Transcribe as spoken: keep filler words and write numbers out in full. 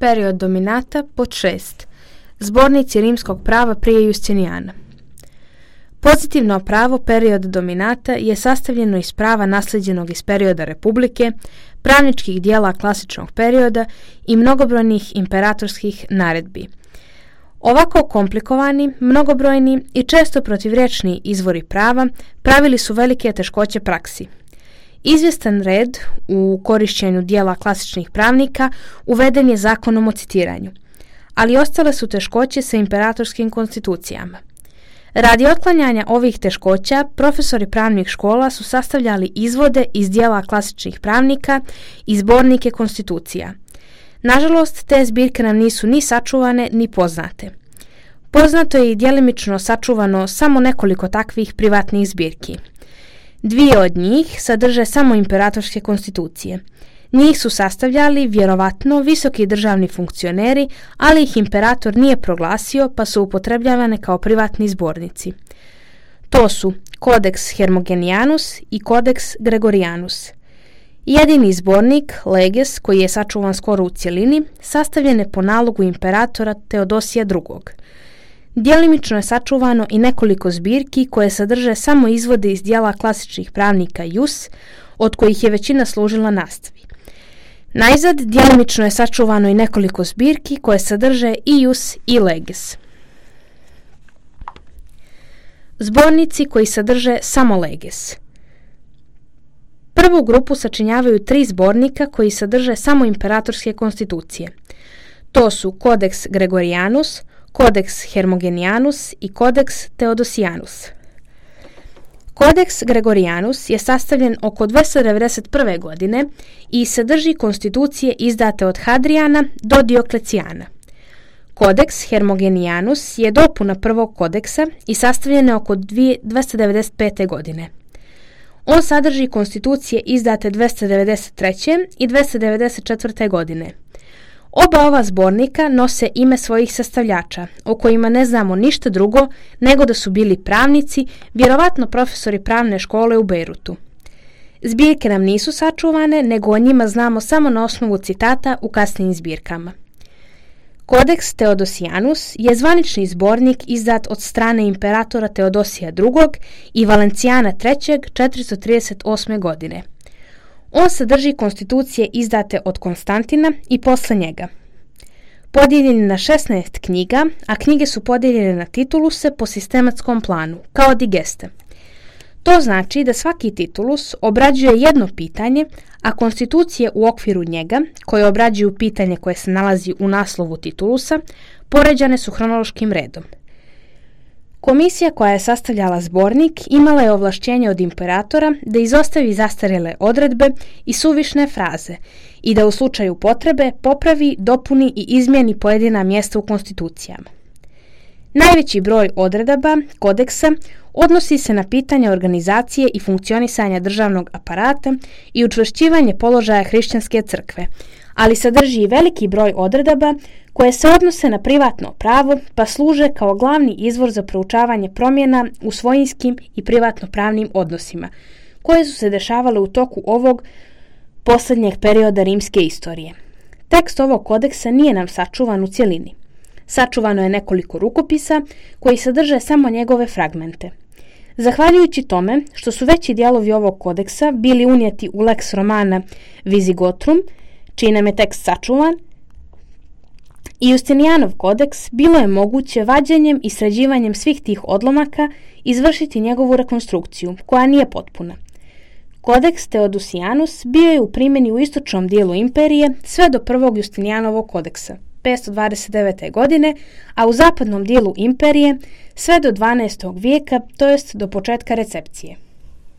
Period dominata pod šest. Zbornici rimskog prava prije Justinijana. Pozitivno pravo period dominata je sastavljeno iz prava naslijeđenog iz perioda Republike, pravničkih dijela klasičnog perioda i mnogobrojnih imperatorskih naredbi. Ovako komplikovani, mnogobrojni i često protivrječni izvori prava pravili su velike teškoće praksi. Izvjestan red u korišćenju dijela klasičnih pravnika uveden je zakonom o citiranju, ali ostale su teškoće sa imperatorskim konstitucijama. Radi otklanjanja ovih teškoća, profesori pravnih škola su sastavljali izvode iz dijela klasičnih pravnika i zbornike konstitucija. Nažalost, te zbirke nam nisu ni sačuvane ni poznate. Poznato je i djelimično sačuvano samo nekoliko takvih privatnih zbirki. Dvije od njih sadrže samo imperatorske konstitucije. Njih su sastavljali, vjerovatno, visoki državni funkcioneri, ali ih imperator nije proglasio, pa su upotrebljavane kao privatni zbornici. To su Codex Hermogenianus i Codex Gregorianus. Jedini zbornik, Leges, koji je sačuvan skoro u cjelini, sastavljen je po nalogu imperatora Teodosija drugog. Djelimično je sačuvano i nekoliko zbirki koje sadrže samo izvode iz dijela klasičnih pravnika Jus, od kojih je većina služila nastavi. Najzad, djelimično je sačuvano i nekoliko zbirki koje sadrže i Jus i Leges. Zbornici koji sadrže samo Leges. Prvu grupu sačinjavaju tri zbornika koji sadrže samo imperatorske konstitucije. To su Codex Gregorianus, Codex Hermogenianus i Codex Theodosianus. Codex Gregorianus je sastavljen oko dvjesto devedeset prve. godine i sadrži konstitucije izdate od Hadrijana do Dioklecijana. Codex Hermogenianus je dopuna prvog kodeksa i sastavljen je oko dvjesto devedeset pete. godine. On sadrži konstitucije izdate dvjesto devedeset treće. i dvjesto devedeset četvrte. godine. Oba ova zbornika nose ime svojih sastavljača, o kojima ne znamo ništa drugo nego da su bili pravnici, vjerovatno profesori pravne škole u Bejrutu. Zbirke nam nisu sačuvane, nego o njima znamo samo na osnovu citata u kasnijim zbirkama. Codex Theodosianus je zvanični zbornik izdat od strane imperatora Teodosija drugog i Valencijana trećeg. četiristo trideset osme. godine. On sadrži konstitucije izdate od Konstantina i posle njega. Podijeljen je na šesnaest knjiga, a knjige su podijeljene na tituluse po sistematskom planu, kao digeste. To znači da svaki titulus obrađuje jedno pitanje, a konstitucije u okviru njega, koje obrađuju pitanje koje se nalazi u naslovu titulusa, poređane su hronološkim redom. Komisija koja je sastavljala zbornik imala je ovlašćenje od imperatora da izostavi zastarjele odredbe i suvišne fraze i da u slučaju potrebe popravi, dopuni i izmijeni pojedina mjesta u konstitucijama. Najveći broj odredaba kodeksa odnosi se na pitanje organizacije i funkcionisanja državnog aparata i učvršćivanje položaja hrišćanske crkve, ali sadrži i veliki broj odredaba koje se odnose na privatno pravo pa služe kao glavni izvor za proučavanje promjena u svojinskim i privatno pravnim odnosima, koje su se dešavale u toku ovog posljednjeg perioda rimske istorije. Tekst ovog kodeksa nije nam sačuvan u cjelini. Sačuvano je nekoliko rukopisa koji sadrže samo njegove fragmente. Zahvaljujući tome što su veći dijelovi ovog kodeksa bili unijeti u Lex Romana Visigotrum, čiji nam je tekst sačuvan, i Justinijanov kodeks, bilo je moguće vađenjem i sređivanjem svih tih odlomaka izvršiti njegovu rekonstrukciju, koja nije potpuna. Kodeks Theodosianus bio je u primjeni u istočnom dijelu imperije sve do prvog Justinijanovog kodeksa, petsto dvadeset devete. godine, a u zapadnom dijelu imperije sve do dvanaestog vijeka, to jest do početka recepcije.